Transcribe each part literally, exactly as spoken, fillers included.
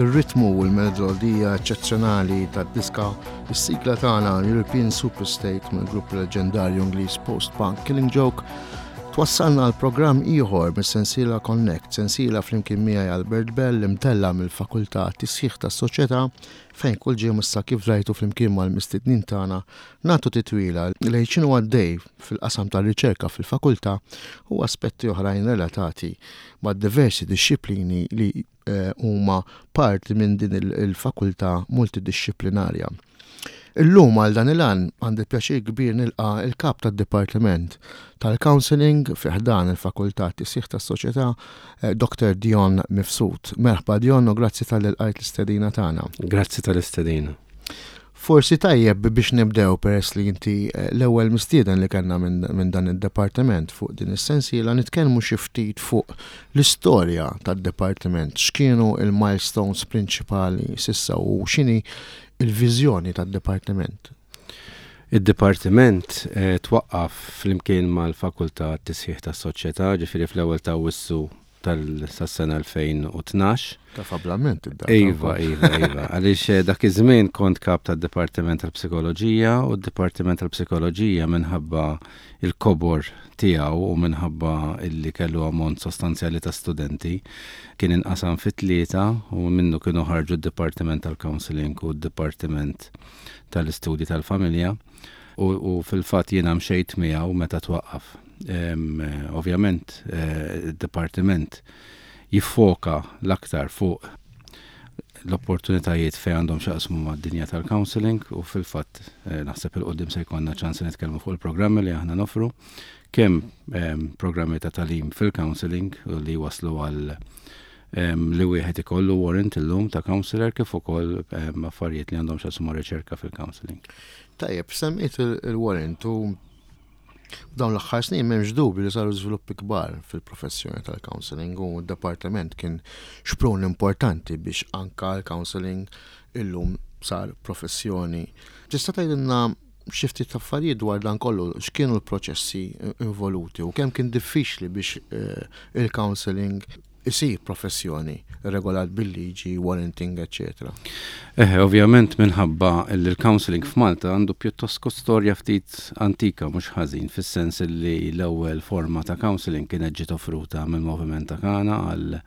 Ir-ritmu u l-melodija eċċezzjonali tad-diska, is-sigla tagħna European Superstate mill-grupp leġendarju Ingliż post-punk Killing Joke, twassalna għal programm ieħor mis-sensiela Connect, sensiela flimkien miegħi Albert Bell imtella mill-Fakultà Tisħiħ tas-Soċjetà, fejn kull ġimgħa issa, kif rajtu, flimkien mal-mistednin tagħna nagħtu titwila lejn x'inhu għaddej fil-qasam tar-riċerka fil-fakultà u aspetti oħrajn relatati ma' diversi dixxiplini li eh, huma parti minn din il-fakultà multidixxiplinarja. Illum għal dan il-għan għandi pjaċir kbir nilqa il-kap tad-Dipartiment tal-Counseling fi ħdan il-Fakultà Tisħiħ tas-Soċjetà, eh, Doktor Dion Mifsud. Merħba Dion u grazzi talli lqajt l-istedina tagħna. Grazzi tal-istedina. Forsi tajjeb biex nibdew, peress li inti eh, l-ewwel mistieden li kellna minn min dan id-departiment fuq din is-sensiela, nitkellmu xi ftit fuq l-istorja tad-departiment, x'kienu il-milestones prinċipali s'issa u x'inhi il-viżjoni tad-departiment. Id-dipartiment eh, twaqqaf flimkien mal-Fakultà Tisħiħ tas-Soċjetà, ġifieri fl-ewwel ta' Awwissu tas-sena elfejn u tnax. Ta' fablament id-data. Iva, iva, iva. Għaliex eh, dak iż-żmien kont kap tad-Dipartiment tal-Psikoloġija u d-Dipartiment tal-Psikoloġija, minħabba il-kobor tiegħu u minħabba illi kellu ammont sostanzjali ta' studenti, kien inqasam fit tlieta u minnu kienu ħarġu d-Dipartiment tal-Counseling u d-Dipartiment tal-Istudji tal-Familja u, u fil-fatt jiena mxejt miegħu meta twaqqaf. Em, eh, Ovvjament, eh, id-dipartiment jiffoka l-aktar fuq l-opportunitajiet fejn għandhom x'jaqsmu mad-dinja tal-counseling u fil-fatt eh, naħseb 'il quddiem se jkollna ċans nitkellmu fuq il-programmi li aħna nofru, kemm em, programmi ta' tagħlim fil-counseling u li waslu għal em, li wieħed ikollu warrant illum ta' counselor, kif ukoll em, affarijiet li għandhom x'jaqsmu ma' riċerka fil-counseling. Tajjeb, semmejt il-warrant u f'dawn l-aħħar snin m'hemmx dubju li saru żviluppi kbar fil-professjoni tal-counseling u d-departiment kien xprun importanti biex anka l-counseling illum sar professjoni. Tista' tgħidilna xi ftit affarijiet dwar dan kollu, x'kienu l-proċessi involuti u kemm kien diffiċli biex eh, il-counseling isir professjoni regolat bil-liġi, warranting, eccetera? Eh, ovvjament minħabba li l-counseling f'Malta għandu pjuttost storja ftit antika mhux ħażin, fis-sens li l-ewwel forma ta' counseling kienet ġiet offruta mill-moviment ta' Kana għal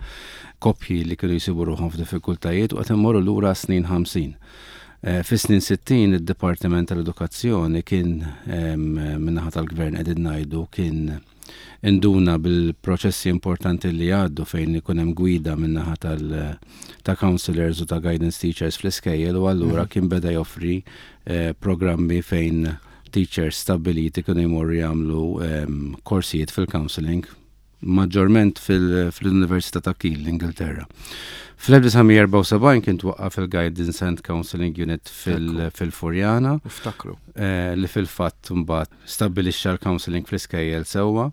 koppji li kienu jsibu ruħhom f'diffikultajiet u qed immorru lura snin ħamsin. Eh, Fis-snin sittin id-Dipartiment tal-Edukazzjoni kien, min-naħa tal-Gvern qegħdin ngħidu, kien induna bil-proċessi importanti li għaddu fejn ikun hemm gwida min-naħa tal ta' counselors u ta' guidance teachers fl-iskejjel u allura mm. kien beda joffri eh, programmi fejn teachers stabiliti kienu jmorru jagħmlu eh, korsijiet fil-counseling, maġġorment fil-Università ta' Keele, l-Ingilterra. Fl-elf disa' mija erbgħa u sebgħin kien twaqqaf il-Guidance and Counseling Unit fil-Furjana. Iftakru. Eh, li fil-fatt mbagħad stabbilixxa l-counseling fl-iskejjel sewwa.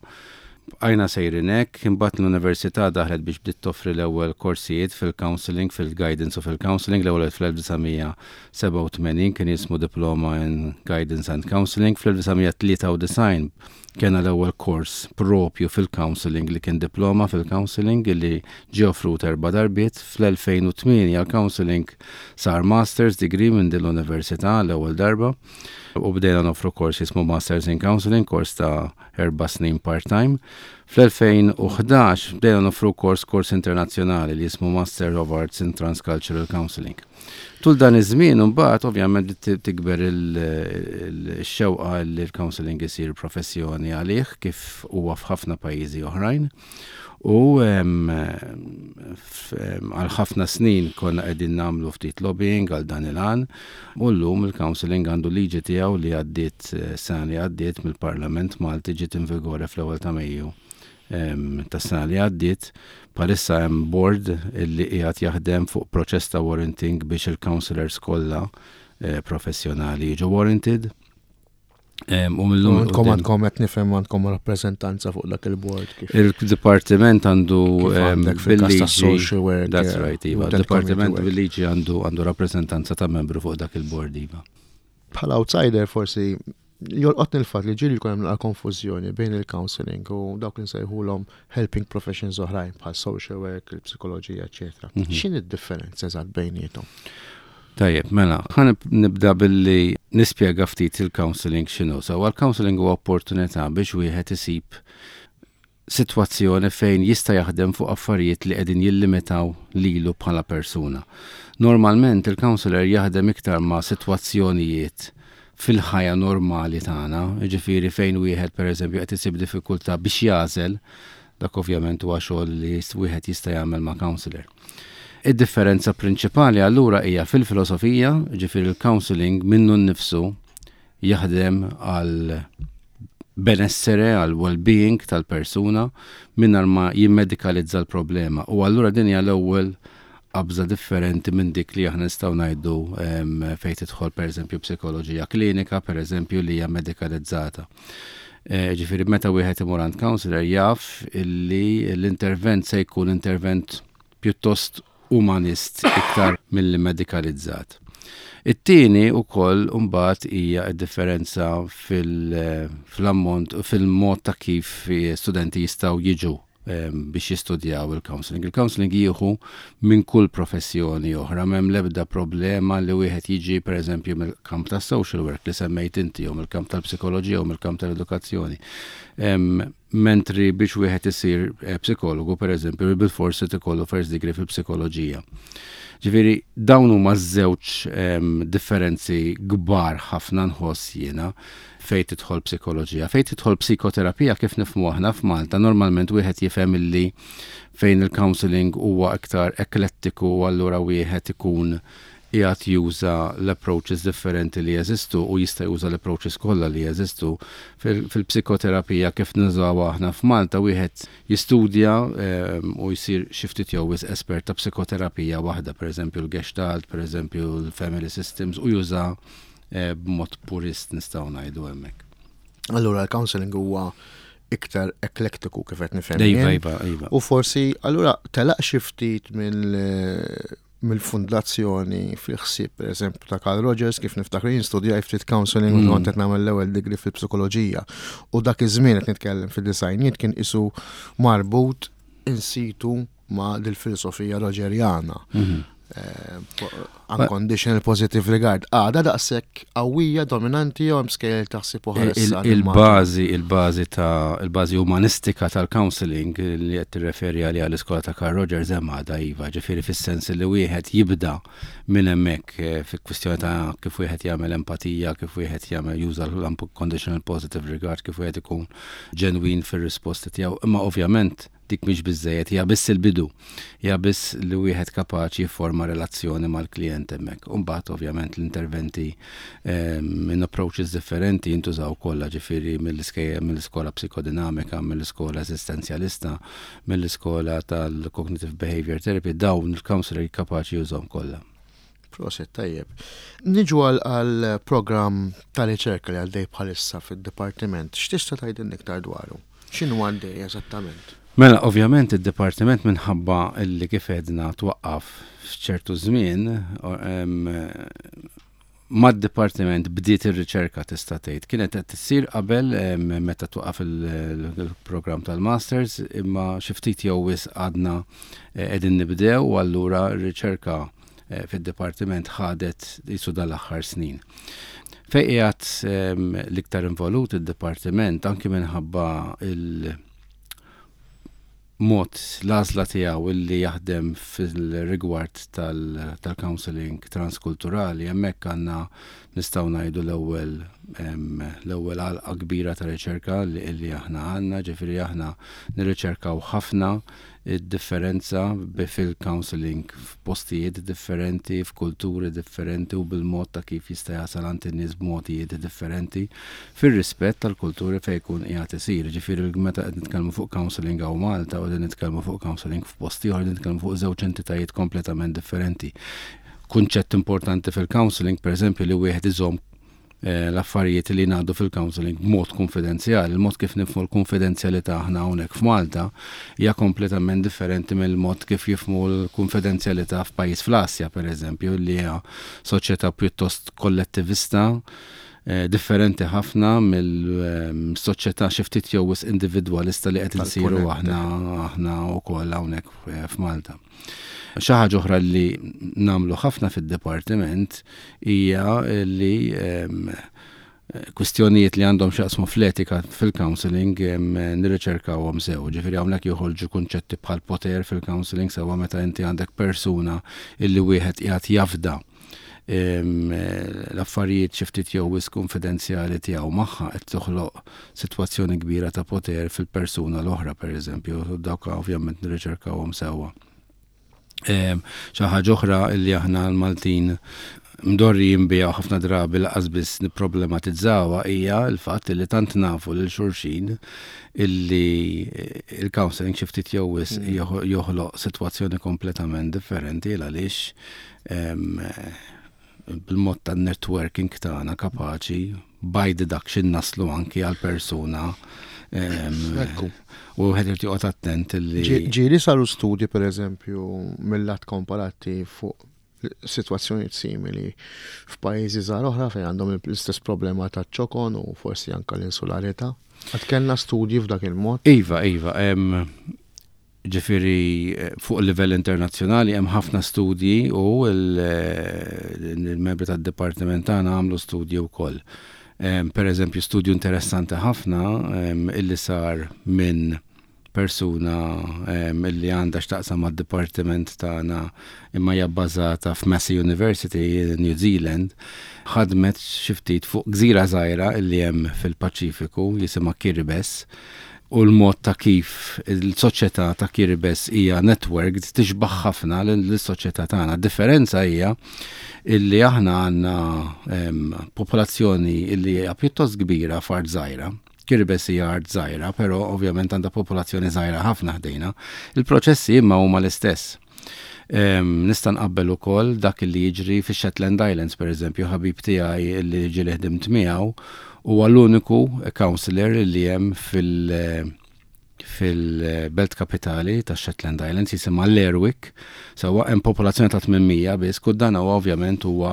Bqajna sejrin hekk, imbagħad l-università daħlet biex bdiet toffri l-ewwel korsijiet fil-counseling, fil-guidance u fil-counseling, l-ewwel fl-elf disa' mija sebgħa u tmenin kien jismu Diploma in Guidance and Counseling. Fl-elf disa' mija tlieta u disgħin kena l-ewwel kors propju fil-counseling li kien diploma fil-counseling li ġie offrut erba' darbiet. Fl-elfejn u tmienja l-counseling sar master's degree minn din l-università l-ewwel darba u bdejna noffru kors jismu Masters in Counseling, kors ta' erba' snin part-time. Fl-elfejn u ħdax bdejna noffru kors kors internazzjonali li jismu Master of Arts in Transcultural Counseling. Tul dan iż-żmien imbagħad ovvjament tikber il-xewqa li l-counseling isir professjoni għalih, kif huwa f'ħafna pajjiżi oħrajn. U għal ħafna snin konna qegħdin nagħmlu ftit lobbying għal dan il-għan u llum il-counseling għandu liġi tiegħu li għaddiet eh, sena li għaddiet mill-Parlament Malti, ġiet in vigore fl-ewwel ta' Mejju tas-sena li għaddiet. Bħalissa hemm board illi qiegħed jaħdem fuq proċess ta' warranting biex il-counselors kollha eh, professjonali jiġu warranted. U mill-lum. Għandkom, għandkom qed nifhem, għandkom rappreżentanza fuq dak il-board kif. Il-dipartiment għandu bil-liġi. Social work. That's right, iva. Il-dipartiment bil-liġi għandu għandu rappreżentanza ta' membru fuq dak il-board, iva. Bħala outsider forsi jolqotni l-fatt li ġieli jkun hemm konfużjoni bejn il-counseling u dawk li nsejħulhom helping professions oħrajn bħal social work, il-psikoloġija, eċetera. Mhm. X'inhi d-differenza eżatt bejniethom? Tajjeb, mela, ħa nibda billi nispjega ftit il-counseling x'inhu. So, il-counseling huwa opportunità biex wieħed isib sitwazzjoni fejn jista' jaħdem fuq affarijiet li qegħdin jillimitaw lilu bħala persuna. Normalment il-counselor jaħdem iktar ma' sitwazzjonijiet fil-ħajja normali tagħna, jiġifieri fejn wieħed, pereżempju, qed isib diffikultà biex jagħżel, dak ovvjament huwa xogħol li wieħed jista' jagħmel ma' counselor. Id-differenza prinċipali allura hija fil-filosofija, ġifieri il-counseling minnu nnifsu jaħdem għal benessere, għal well-being tal-persuna mingħajr ma jimmedikalizza l-problema. U allura din hija l-ewwel qabża differenti minn dik li aħna nistgħu ngħidu fejn tidħol, pereżempju, psikoloġija klinika, pereżempju, li hija medikalizzata. E, ġifieri meta wieħed imur għand counselor jaf illi l-intervent se jkun intervent pjuttost umanist iktar milli medikalizzat. It-tieni ukoll mbagħad hija d-differenza fil-ammont, fil-mod ta' kif studenti jistgħu jiġu biex jistudjaw il-counseling. Il-counseling jieħu minn kull professjoni oħra, m'hemm l-ebda problema li wieħed jiġi, pereżempju, mill-kamp ta' social work li semmejt inti, jew mill-kamp tal-psikoloġija, u mill-kamp tal-edukazzjoni. Mentri biex wieħed isir eh, psikologu, pereżempju, bil-forsi ikollu first degree fil-psikoloġija. Ġifieri dawn huma żewġ differenzi kbar ħafna, nħoss jiena, fejn tidħol psikoloġija. Fejn tidħol psikoterapija kif nifhmu aħna f'Malta, normalment wieħed jifhem illi fejn il-counseling huwa iktar eklettiku u allura wieħed ikun qiegħed juża l-approaches differenti li jeżistu u jista' juża l-approaches kollha li jeżistu. Fil-psikoterapija kif nużaw aħna f'Malta, wieħed jistudja ehm, u jsir xi ftit jew espert ta' psikoterapija waħda, pereżempju l-Gestalt, pereżempju l-Family Systems, u juża eh, b'mod purist, nistgħu ngħidu hemmhekk. Allura l-counseling huwa iktar eklektiku kif qed nifhem. Iva, iva, iva. U forsi allura telaq xi ftit mill mill-fundazzjoni fil-ħsieb, per eżempju, ta' Carl Rogers. Kif niftakar jien, studjaj ftit counseling mm. kont qed nagħmel l-ewwel degree fil-psikoloġija u dak iż-żmien, qed nitkellem fid-disgħinijiet, kien isu marbut in situ ma' dil-filosofija rogerjana. Mm -hmm. Unconditional positive regard. Għada daqshekk qawwija, dominanti, jew hemm skejjel taħsib oħra? Il-bażi il-bażi ta' il-bażi umanistika tal-counseling li qed tirreferi għalija l-iskola ta' Carl Rogers hemm għadha, iva, ġifieri fis-sens li wieħed jibda minn hemmhekk eh, fi kwistjoni ta' kif wieħed jagħmel empatija, kif wieħed jagħmel juża l-unconditional positive regard, kif wieħed ikun ġenwin fir-risposti tiegħu. Imma ovvjament dik mhix biżejjed, hija biss il-bidu. Hija biss li wieħed kapaċi jifforma relazzjoni mal-klient hemmhekk. U mbagħad ovvjament l-interventi ehm, minn approaches differenti jintużaw kollha, ġifieri mill-iskola psikodinamika, mill-iskola esistenzjalista, mill-iskola tal-cognitive behavior therapy, dawn il-counselor kapaċi jużhom kollha. Prosit, tajjeb. Niġu għal program ta' riċerka li għaddej bħalissa fid-dipartiment. X'tista' tgħidilna iktar dwaru? X'inhu għaddej eżattament? Mela, ovvjament id-dipartiment, minħabba illi kif edna twaqqaf f'ċertu żmien, mad-dipartiment bdiet ir-riċerka, tista' tgħid. Kienet qed issir qabel meta twaqqaf il-programm tal-Masters, imma xi ftit jew wisq għadna eh, qegħdin nibdew u allura r-riċerka eh, fid-dipartiment ħadet jisu dal-aħħar snin. Fejn qiegħed l-iktar involut id-dipartiment, anki minħabba il- mod l-għażla tiegħu illi jaħdem fil-rigward tal-counseling transkulturali, hemmhekk għandna, nistgħu ngħidu, l-ewwel l-ewwel għalqa kbira ta' riċerka li aħna għandna, ġifieri aħna nirriċerkaw ħafna id-differenza fil-counseling f'postijiet differenti, f'kulturi differenti u bil-mod ta' kif jista' jasal għand in-nies b'modijiet differenti fir-rispett tal-kulturi fejn jkun qiegħed isir. Ġifieri meta qed nitkellmu fuq counseling hawn Malta u qed nitkellmu fuq counseling f'post ieħor, nitkellmu fuq żewġ entitajiet kompletament differenti. Kunċett importanti fil-counseling, per eżempju, li wieħed iżomm eh, l-affarijiet li ngħaddu fil-counseling b'mod konfidenzjali. Il-mod kif nifhmu l-konfidenzjalità aħna hawnhekk f'Malta hija kompletament differenti mill-mod kif jifhmu l-konfidenzjalità f'pajjiż fl-Asja, per eżempju, li hija soċjetà pjuttost kollettivista, eh, differenti ħafna mill-soċjetà xi ftit jew wisq individwalista li qed insiru aħna aħna wkoll hawnhekk eh, f'Malta. Xi ħaġa oħra li nagħmlu ħafna fid-dipartiment hija li kwistjonijiet li għandhom x'jaqsmu fl-etika fil-counseling nirriċerkawhom sew. Ġifieri hawnhekk joħorġu kunċetti bħal poter fil-counseling, sewwa, meta inti għandek persuna illi wieħed qiegħed jafda l-affarijiet xi ftit jew wisq konfidenzjali tiegħu magħha, qed toħloq sitwazzjoni kbira ta' poter fil-persuna l-oħra, pereżempju, dawk ovvjament nirriċerkawhom sewwa. Xi ħaġa oħra li aħna l-Maltin mdorrijin biha, ħafna drabi lanqas biss nipproblematizzawha, hija l-fatt li tant nafu lil xulxin illi il-counseling xi ftit jew wisq mm. joħloq sitwazzjoni kompletament differenti, għaliex bil-mod ta' networking tagħna kapaċi by deduction naslu anki għal persuna u wieħed irid joqgħod attent li Ġieli saru studji, per eżempju, mill-lat komparattiv fuq situazzjonijiet simili f'pajjiżi żgħar oħra fejn għandhom l-istess problema ta' ċokon u forsi anka l-insularità? Għad kellna studji f'dak il-mod? Iva, iva. Ġifieri fuq livell internazzjonali hemm ħafna studji u il-membri tad-dipartiment tagħna għamlu studji wkoll. Per eżempju, studju interessanti ħafna illi sar minn persuna illi għandha x'taqsam mad-dipartiment tagħna imma hija bbażata f'Massey University, New Zealand, ħadmet xi ftit fuq gżira żgħira illi hemm fil-Paċifiku jisimha Kiribati, u l-mod ta' kif il-soċjetà ta' Kiribati hija networked tixbaħ ħafna lis-soċjetà tagħna. Differenza hija illi aħna għandna popolazzjoni illi hija pjuttost kbira f'art żgħira. Kiribati hija art żgħira, però ovvjament għandha popolazzjoni żgħira ħafna ħdejna. Il-proċessi imma huma l-istess. Nista' nqabbel ukoll dak li jiġri fi Shetland Islands, per eżempju, ħabib tiegħi li ġieli ħdimt miegħu huwa l-uniku counselor li hemm fil- fil-belt kapitali ta' Shetland Islands, jisimha Lerwick, sewwa, hemm popolazzjoni ta' tmien mija biss, kull dan huwa ovvjament huwa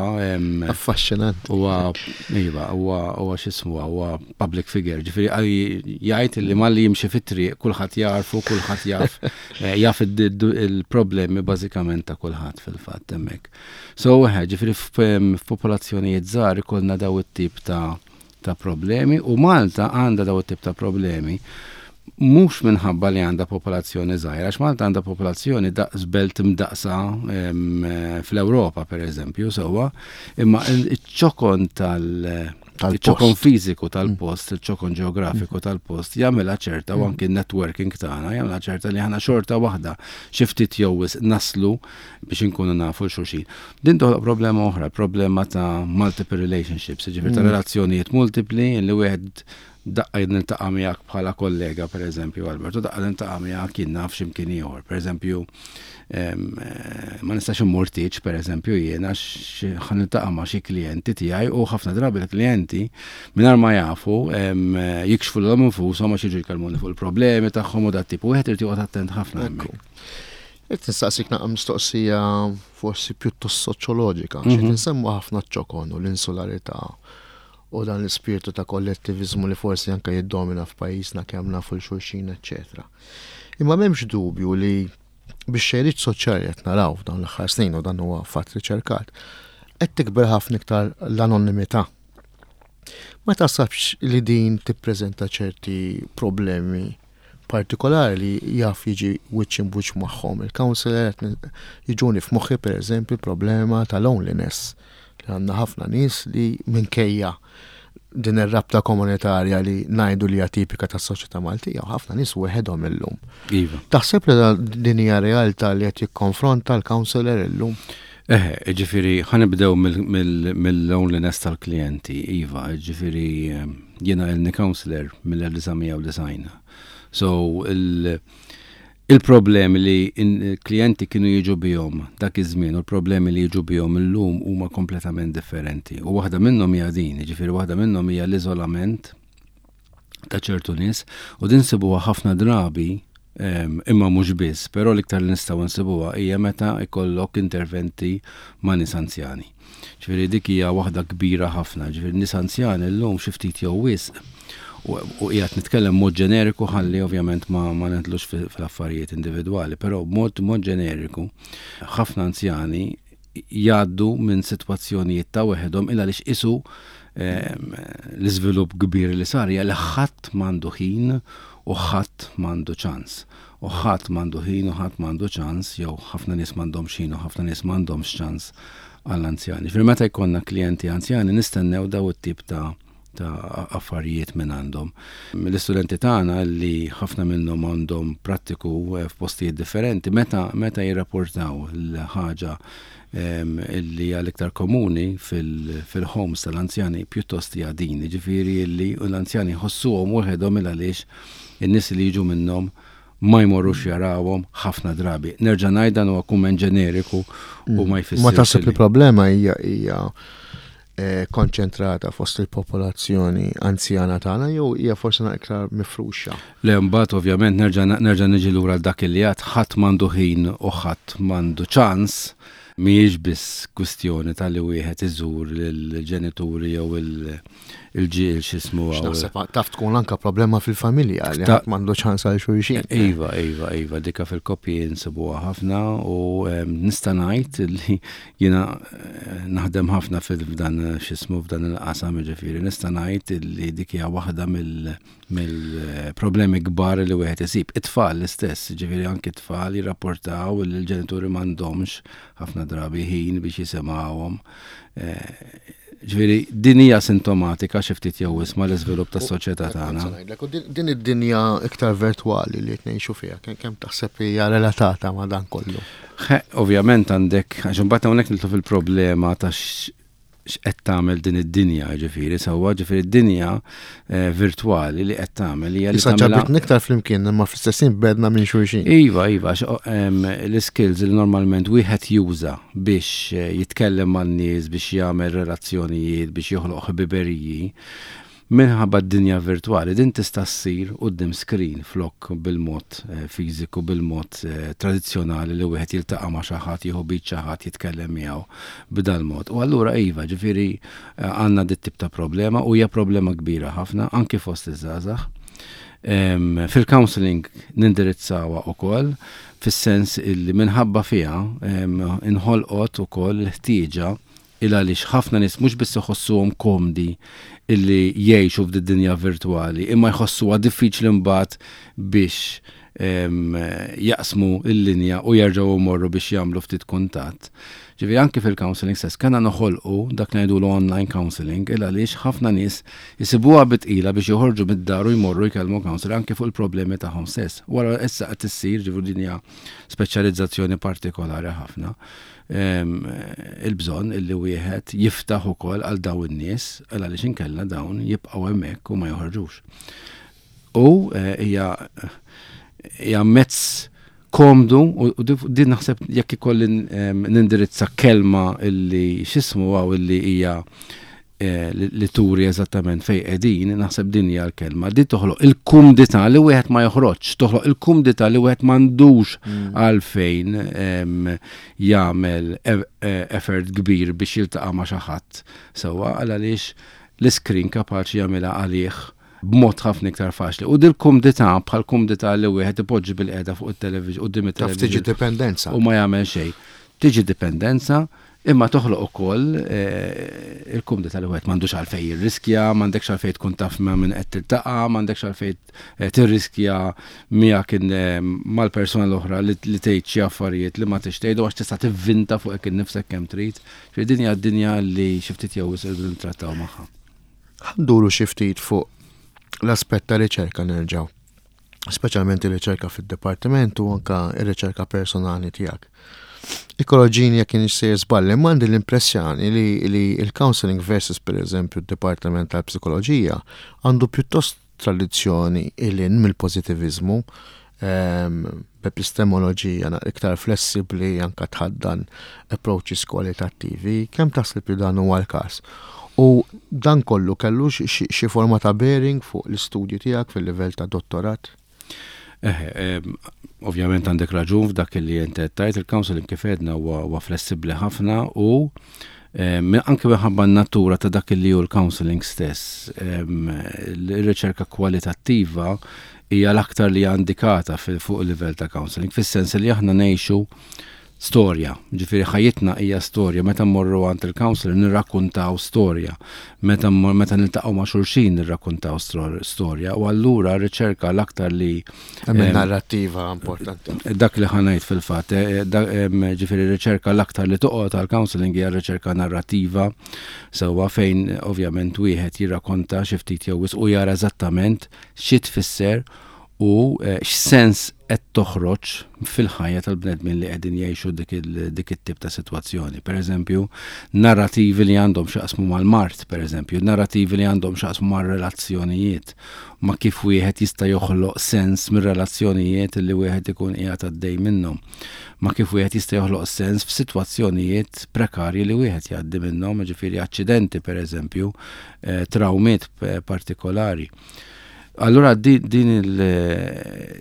Affaxxinant. Huwa, iva, huwa huwa x'ismu, huwa public figure, ġifieri jgħid li malli jimxi fit-triq kulħadd jarfu, kulħadd jaf eh, jaf il-problemi bażikament ta' kulħadd fil-fatt hemmhekk. So, ġifieri f'popolazzjonijiet żgħar ikollna daw it-tip ta' ta' problemi u Malta għandha daw it-tip ta' problemi mhux minħabba li għandha popolazzjoni żgħira, għax Malta għandha popolazzjoni daqs belt mdaqsa fl-Ewropa, per eżempju, sewwa, imma iċ-ċokon tal- ċokon fiżiku tal-post, il-ċokon ġeografiku tal-post, jagħmilha ċerta u anki networking tagħna jagħmilha ċerta li aħna xorta waħda xi ftit jew naslu biex inkunu nafu 'l xulxin. Din toħloq problema oħra, problema ta' multiple relationships, ġifieri ta' relazzjonijiet multipli li wieħed daqqa niltaqa' miegħek bħala kollega, per eżempju, Alberto, daqqa niltaqa' miegħek jien naf x'imkien ieħor. Per eżempju, eh, ma nistax immur tieġ, per eżempju, jien, għax ħa niltaqa' ma' xi klijenti tiegħi u ħafna drabi l-klijenti mingħajr ma jafu jikxfu lilhom infushom għax jiġu jkellmuni fuq il-problemi tagħhom u dat tip. Wieħed irid joqgħod attent ħafna hemmhekk. Qed nistaqsik naqra mistoqsija forsi pjuttost soċjoloġika. Xi mhm. nsemmu ħafna ċokon u l-insularità u dan l-ispirtu ta' kollettivizmu li forsi anke jiddomina f'pajjiżna, kemm nafu 'l xulxin, eċċetera. Imma m'hemmx dubju li bix-xejriet soċjali qed naraw f'dawn l-aħħar snin, u dan huwa fatt riċerkat, qed tikber ħafna iktar l-anonimità. Ma taħsibx li din tippreżenta ċerti problemi partikolari li jaf jiġi wiċċ imb'wiċċ magħhom il-counselor? Jiġuni f'moħħi, per eżempju, problema ta' loneliness, li għandna ħafna nies li minkejja din ir-rabta komunitarja li ngħidu li hija tipika tas-soċjetà Maltija, ħafna nies weħedhom illum. Iva. Taħseb li din hija realtà li qed jikkonfronta l-counselor illum? Eħe, ġifieri, ħa nibdew mill-loneliness tal-klijenti, iva, ġifieri, jiena ilni counselor mill-elf disa' mija u disgħin. So, Il-problemi li il-klijenti kienu jiġu bihom dak iż-żmien u l-problemi li jiġu bihom illum huma kompletament differenti. U waħda minnhom hija din, jiġifieri waħda minnhom hija l-iżolament ta' ċertu nies u din nsibuha ħafna drabi imma mhux biss, però l-iktar li nistgħu nsibuha hija meta ikollok interventi ma' nies anzjani. Ġifieri dik hija waħda kbira ħafna, ġifieri nies anzjani llum xi ftit jew wisq u qiegħed nitkellem mod ġeneriku ħalli ovvjament ma ma nidħlux fl-affarijiet individwali, però mod mod ġeneriku ħafna anzjani jgħaddu minn sitwazzjonijiet ta' weħedhom illa għaliex isu l-iżvilupp kbir li sar hija li ħadd m'għandu ħin u ħadd m'għandu ċans. U ħadd m'għandu ħin u ħadd m'għandu ċans, jew ħafna nies m'għandhomx ħin u ħafna nies m'għandhomx ċans għall-anzjani. Ġifieri meta jkollna klijenti anzjani nistennew daw it-tip ta' ta' affarijiet minn għandhom. L-istudenti tagħna li ħafna minnhom għandhom prattiku eh, f'postijiet differenti, meta meta jirrapportaw l-ħaġa illi hija l-iktar komuni fil-homes tal-anzjani pjuttost hija din, ġifieri li l-anzjani jħossuhom waħedhom il għaliex in-nies li jiġu minnhom ma jmorrux jarawhom ħafna drabi. Nerġa' ngħid dan huwa kumment ġeneriku u ma jfissirx. Ma taħseb li problema hija hija eh, konċentrata fost il-popolazzjoni anzjana tagħna jew hija forsi iktar mifruxa? Le mbagħad ovvjament nerġa' nerġa' niġi lura dak li għad ħadd m'għandu ħin u ħadd m'għandu ċans mhijiex biss kwistjoni tal-li wieħed iżur lill-ġenituri jew il-ġiel x'ismu għaw. Naħseb taf tkun anka problema fil-familja li ħadd m'għandu ċans għal xulxin. Iva, iva, iva, dika fil-koppji nsibuha ħafna u nista' ngħid li jiena eh, naħdem ħafna f'dan x'ismu f'dan il-qasam ġifieri, nista' ngħid li dik hija waħda mill mill-problemi kbar li wieħed isib. It-tfal l-istess, ġifieri anki t-tfal jirrapportaw li l-ġenituri m'għandhomx ħafna drabi ħin biex jisimgħuhom. Eh, ġifieri din hija sintomatika xi ftit jew isma' l-iżvilupp tas-soċjetà tagħna. Din id-dinja iktar virtwali li qed ngħixu fiha, kemm taħseb hija relatata ma' dan kollu? Ovvjament għandek, għax imbagħad hawnhekk nidħlu fil-problema ta' x'qed tagħmel din id-dinja, ġifieri, sewwa ġifieri d-dinja eh, virtwali li qed tagħmel hija li tagħmilha ġabitna iktar flimkien imma fl-istess ħin bedna minn xulxin. Iva, iva, l-skills li normalment wieħed juża biex eh, jitkellem man-nies, biex jagħmel relazzjonijiet, biex joħloq ħbiberiji, minħabba d-dinja virtwali din tista' ssir quddiem screen flok bil-mod eh, fiżiku, bil-mod eh, tradizzjonali li wieħed jiltaqa' ma' xi ħadd, jieħu bid xi ħadd jitkellem miegħu b'dal-mod. U allura iva, ġifieri eh, għandna dit tip ta' problema u hija problema kbira ħafna anki fost iż-żgħażagħ. Fil-counseling nindirizzawha ukoll fis-sens illi minħabba fiha inħolqot ukoll l-ħtieġa il għaliex ħafna nies mhux biss iħossuhom komdi illi jgħixu f'din dinja virtwali, imma jħossuha diffiċli mbagħad biex jaqsmu il-linja u jerġgħu jmorru biex jagħmlu ftit kuntatt. Ġifieri anki fil-counseling stess kellna noħolqu dak li ngħidulu online counseling il għaliex ħafna nies jisibuha bi tqila biex joħorġu mid-dar u jmorru jkellmu counselor anki fuq il-problemi tagħhom stess. Wara issa qed issir ġifieri din hija speċjalizzazzjoni partikolari ħafna il-bżonn illi wieħed jiftaħ ukoll għal dawn in-nies għal għaliex inkella dawn jibqgħu hemmhekk u ma joħorġux. U eh, hija hija mezz komdu u din naħseb jekk ikolli nindirizza kelma illi x'ismu għaw illi hija eh, li turi eżattament fej qegħdin, naħseb din hija l-kelma. Din toħloq il-kumdità li wieħed ma joħroġ, toħloq il-kumdità li wieħed m'għandux mm. għalfejn jagħmel e, e, effort kbir biex jiltaqa' ma' xi ħadd. Sewwa għal għaliex l-iskrin kapaċi jagħmilha għalih b'mod ħafna iktar faċli. U dil-kumdità bħal kumdità li wieħed ipoġġi bil-qiegħda fuq it-television quddiem it-television. Tiġi dipendenza. U ma jagħmel xejn. Tiġi dipendenza imma toħloq ukoll eh, il-kumdità li wieħed m'għandux għalfejn jirriskja, m'għandekx għalfejn tkun taf ma' min qed tiltaqa', m'għandekx għalfejn eh, tirriskja miegħek eh, mal-persuna l-oħra li tgħid xi affarijiet li ma tixtejdu għax tista' tivvinta fuq innifsek kemm trid. Ġifieri din hija d-dinja li xi ftit jew wisq irridu nittrattaw magħha. Ħa nduru xi ftit fuq l-aspett ta' riċerka nerġgħu. Speċjalment ir-riċerka fid-dipartiment u anka ir-riċerka personali tiegħek. Ikkoreġini jekk jien sejjer żball, imma għandi l-impressjoni li, li il-counseling versus per eżempju d-Dipartiment tal-Psikoloġija għandu pjuttost tradizzjoni ilin mill-pozitivizmu B'epistemoloġija iktar flessibbli, anka tħaddan approaches kwalitattivi. Kemm taħseb li dan huwa l-każ? U dan kollu kellu xi forma ta' bearing fuq l-istudju tiegħek fil-livell ta' dottorat? Eh, ovvjament għandek raġun f'dak li inti tajt. Il-counseling, kif għedna, huwa flessibbli ħafna u anke minħabba n-natura ta' dak li hu l-counseling stess. Il-riċerka kwalitattiva hija l-aktar li indikata fuq il-livell ta' counseling, fis-sens li aħna ngħixu storja, ġifieri ħajjitna hija storja. Meta mmorru għand il-counselor nirrakkuntaw storja, meta meta niltaqgħu ma' xulxin nirrakkuntaw storja, u allura riċerka l-aktar li Hemm narrattiva importanti. Dak li ħa ngħid fil-fatt, eh, ġifieri riċerka l-aktar li toqgħod għal-counseling hija riċerka narrattiva, sewwa, fejn ovvjament wieħed jirrakkonta xi ftit jew u jara eżattament xi tfisser u eh, x'sens qed toħroġ fil-ħajja tal-bnedmin li qegħdin jgħixu dik it-tip ta' sitwazzjoni. Per eżempju, narrativi li għandhom x'jaqsmu mal-mard, per eżempju, narrativi li għandhom x'jaqsmu mal-relazzjonijiet, ma' kif wieħed jista' joħloq sens mir-relazzjonijiet li wieħed ikun qiegħed għaddej minnhom, ma' kif wieħed jista' joħloq sens f'sitwazzjonijiet prekarji li wieħed jgħaddi minnhom, ġifieri aċċidenti per eżempju, eh, traumiet partikolari. Allura din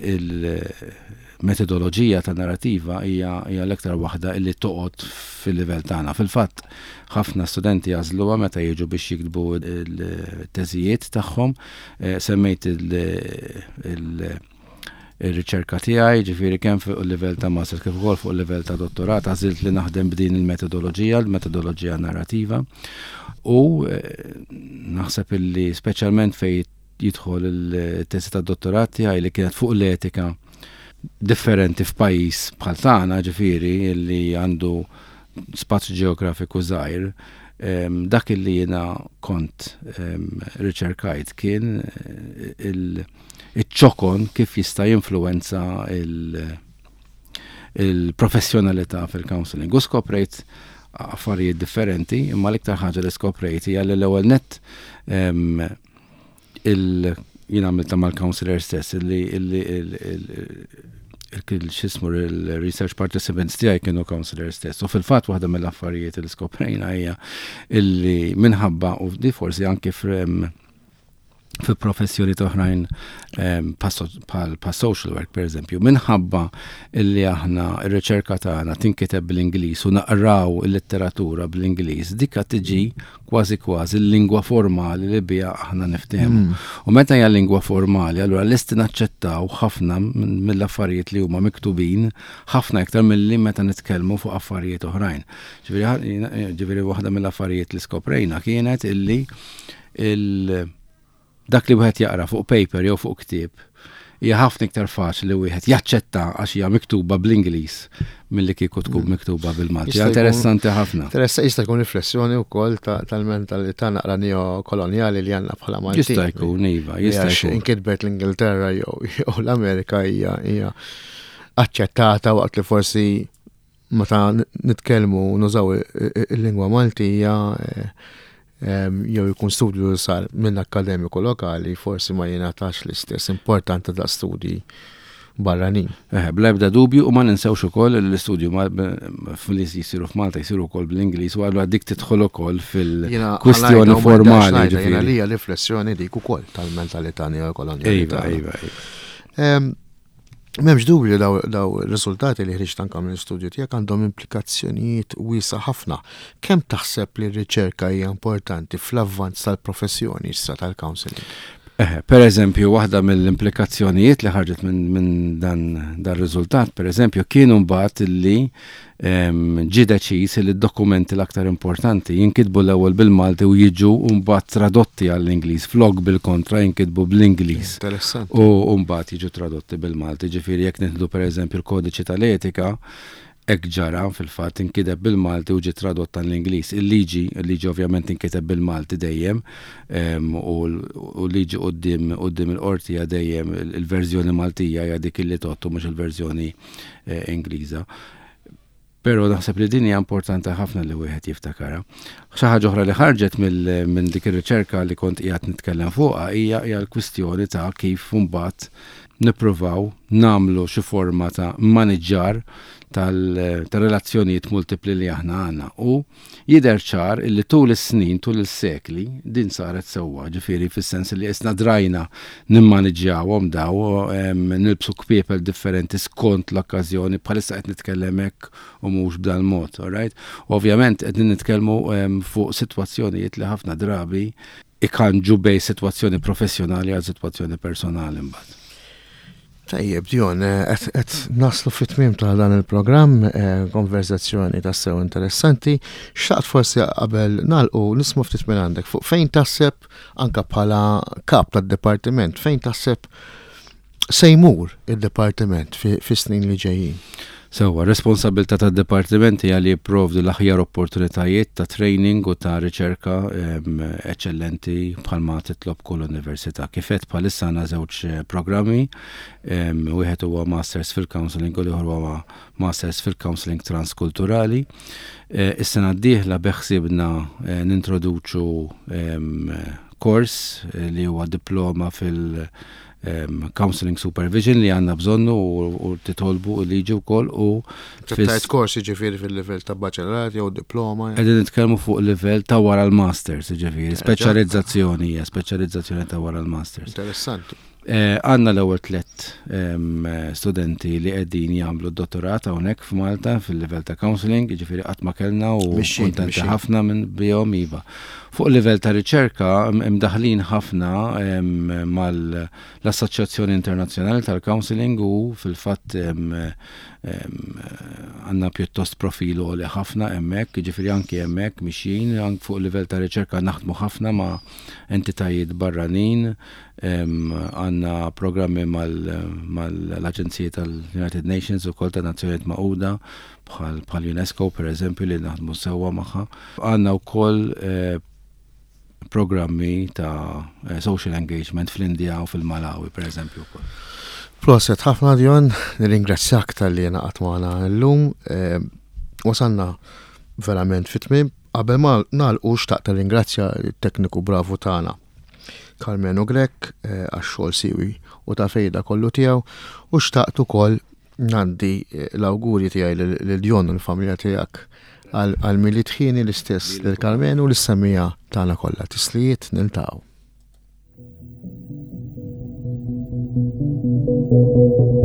il-metodoloġija ta' narrativa hija l-aktar waħda illi toqgħod fil-livell tagħna. Fil-fatt, ħafna studenti jagħżluha meta jiġu biex jiktbu il-teżijiet tagħhom. Eh, semmejt il-riċerka tiegħi, ġifieri kemm fuq il-livell ta' master kif ukoll fuq il-livell ta' dottorat, għażilt li naħdem b'din il-metodoloġija, il-metodoloġija narrativa. U eh, naħseb illi speċjalment fej jidħol il-tesi ta' dottorat tiegħi li kienet fuq l-etika differenti f'pajjiż bħal tagħna, ġifieri li għandu spazju ġeografiku żgħir, dak li jiena kont riċerkajt kien il-ċokon kif jista' jinfluwenza il-professjonalità fil-counseling. U skoprejt affarijiet differenti, imma l-iktar ħaġa li skoprejt hija li l-ewwel net il jien għamilta mal-counselor stess, illi il-xismu il-research participants tiegħi kienu counselor stess. U fil-fatt waħda mill-affarijiet li skoprejna hija illi minħabba, u di forsi anke fi professjoni oħrajn bħal social work per eżempju, minħabba illi aħna ir-riċerka tagħna tinkiteb bl-Ingliż u naqraw il-letteratura bl-Ingliż, dika tiġi kważi kważi l-lingwa formali li biha aħna niftehmu. Mm. U meta hija lingwa formali, allura lesti naċċettaw ħafna mill-affarijiet li huma miktubin, ħafna iktar milli meta nitkellmu fuq affarijiet oħrajn. Ġifieri waħda mill-affarijiet li skoprejna kienet illi il dak li wieħed jaqra fuq paper jew fuq ktieb hija ħafna iktar faċli li wieħed jaċċetta għax hija miktuba bl-Ingliż milli kieku tkun mm. miktuba bil-Malti. Interessanti ħafna. Interessa jista' jkun riflessjoni wkoll tal-mentalità naqra neokolonjali li għandna bħala Malti. Jista' jkun, iva, jista' jkun. Inkitbet l-Ingilterra jew l-Amerika hija hija aċċettata, waqt li forsi meta nitkellmu nużaw il-lingwa Maltija eh, jew jkun studju li sar minn akademiku lokali, forsi ma jingħatax l-istess importanti ta' studji barranin. Eh, bla ebda dubju, u ma ninsewx ukoll l-istudju li jisiru f'Malta jisiru wkoll bl-Ingliż, u allura dik tidħol ukoll fil-kwistjoni formali. Jiena li riflessjoni dik ukoll tal-mentalità neokolonjali. Iva, iva, iva. M'hemmx dubju, daw, daw riżultati li ħriġt anka mill-istudju tiegħek għandhom implikazzjonijiet wiesa ħafna. Kemm taħseb li r-riċerka hija importanti fl-avvanz tal-professjoni issa tal-counseling? Eh, per eżempju, waħda mill-implikazzjonijiet li ħarġet minn min dan dan riżultat, per eżempju, kienu mbagħad li ġie deċiż li d-dokumenti l-aktar importanti jinkitbu l-ewwel bil-Malti u jiġu mbagħad tradotti għall-Ingliż, flok bil-kontra, jinkitbu bl-Ingliż. Interessanti. U mbagħad jiġu tradotti bil-Malti. Ġifieri jekk nieħdu per eżempju l-kodiċi tal-etika, hekk ġara fil-fatt, inkiteb bil-Malti u ġie tradott għall-Ingliż. Il-liġi, il-liġi ovvjament inkiteb bil-Malti dejjem, u l-liġi quddiem quddiem il-qorti hija dejjem il-verżjoni Maltija hija dik li tgħodd, mhux il-verżjoni eh, Ingliża. Però naħseb li din hija importanti ħafna li wieħed jiftakarha. Xi ħaġa oħra li ħarġet minn dik ir-riċerka li kont qiegħed nitkellem fuqha hija hija l-kwistjoni ta' kif mbagħad nippruvaw nagħmlu xi forma ta' maniġġar tal-relazzjonijiet multipli li aħna għandna. U jidher ċar illi tul is-snin, tul is-sekli, din saret sewwa, ġifieri fis-sens li isna drajna nimmaniġġjawhom daw, nilbsu kpiepel differenti skont l-okkażjoni, bħalissa qed nitkellem hekk u mhux b'dan mod, alright? Ovvjament qed nitkellmu fuq sitwazzjonijiet li ħafna drabi ikanġu bejn sitwazzjoni professjonali għal sitwazzjoni personali mbagħad. Tajjeb, Dion, qed naslu fit-tmiem ta' dan il-programm, eh, konverzazzjoni tassew interessanti. Xtaqt forsi qabel nagħlqu nisma' ftit minn għandek fuq fejn taħseb anka bħala kap tad-dipartiment, fejn taħseb se jmur id-dipartiment fi snin li ġejjin. Sewwa, responsabilità tad-dipartiment hija li jipprovdu l-aħjar opportunitajiet ta' training u ta' riċerka eċċellenti bħalma titlob kull università. Kif għedt, bħalissa għandna żewġ eh, programmi, wieħed huwa Masters fil-Counseling u l-ieħor huwa Masters fil-Counseling Transkulturali. Eh, is-sena d-dieħla beħsibna eh, nintroduċu kors li huwa diploma fil- um, counseling supervision li għandna bżonnu u titolbu u liġi u koll u Tajt kors, ġifieri, fil-level ta' baċellerat jew diploma? Qegħdin nitkellmu fuq livell ta' wara l-masters, ġifieri, speċjalizzazzjoni, speċjalizzazzjoni ta' wara l-masters. Interessanti. Eh, għandna l-ewwel tliet studenti li qegħdin jagħmlu d-dottorat hawnhekk f'Malta fil-livell ta' counseling, jiġifieri qatt ma kellna u kuntenti ħafna minn bihom, iva. Fuq livell ta' riċerka imdaħlin ħafna mal-Assoċjazzjoni Internazzjonali tal-Counseling u fil-fatt għandna pjuttost profil li ħafna hemmhekk, jiġifieri anki hemmhekk mixjin, anki fuq livell ta' riċerka naħdmu ħafna ma' entitajiet barranin, għandna programmi mal-Aġenziji tal-United Nations u kol ta' Nazzjonijiet Magħquda bħal UNESCO, per eżempju, li naħdmu sewwa magħha. Għandna wkoll eh, programmi ta' eh, social engagement fl-Indja u fil-Malawi, per eżempju. Proset ħafna, Dion, nirringrazzjak talli ngħaqadt magħna llum. Eh, wasalna verament fit-tmiem. Qabel ma nagħlqu, xtaqt ringrazzja t-tekniku bravu tagħna, Carmenu Grek, eh, għax-xogħol siwi u ta' fejda kollu tiegħu, u xtaqt ukoll ngħaddi l-awguri tiegħi lil Dion u l-familja tiegħek għal Milied ħieni, l-istess lil Carmenu u lis-semmiegħa tagħna kollha. Tislijiet, niltaqgħu. Thank you.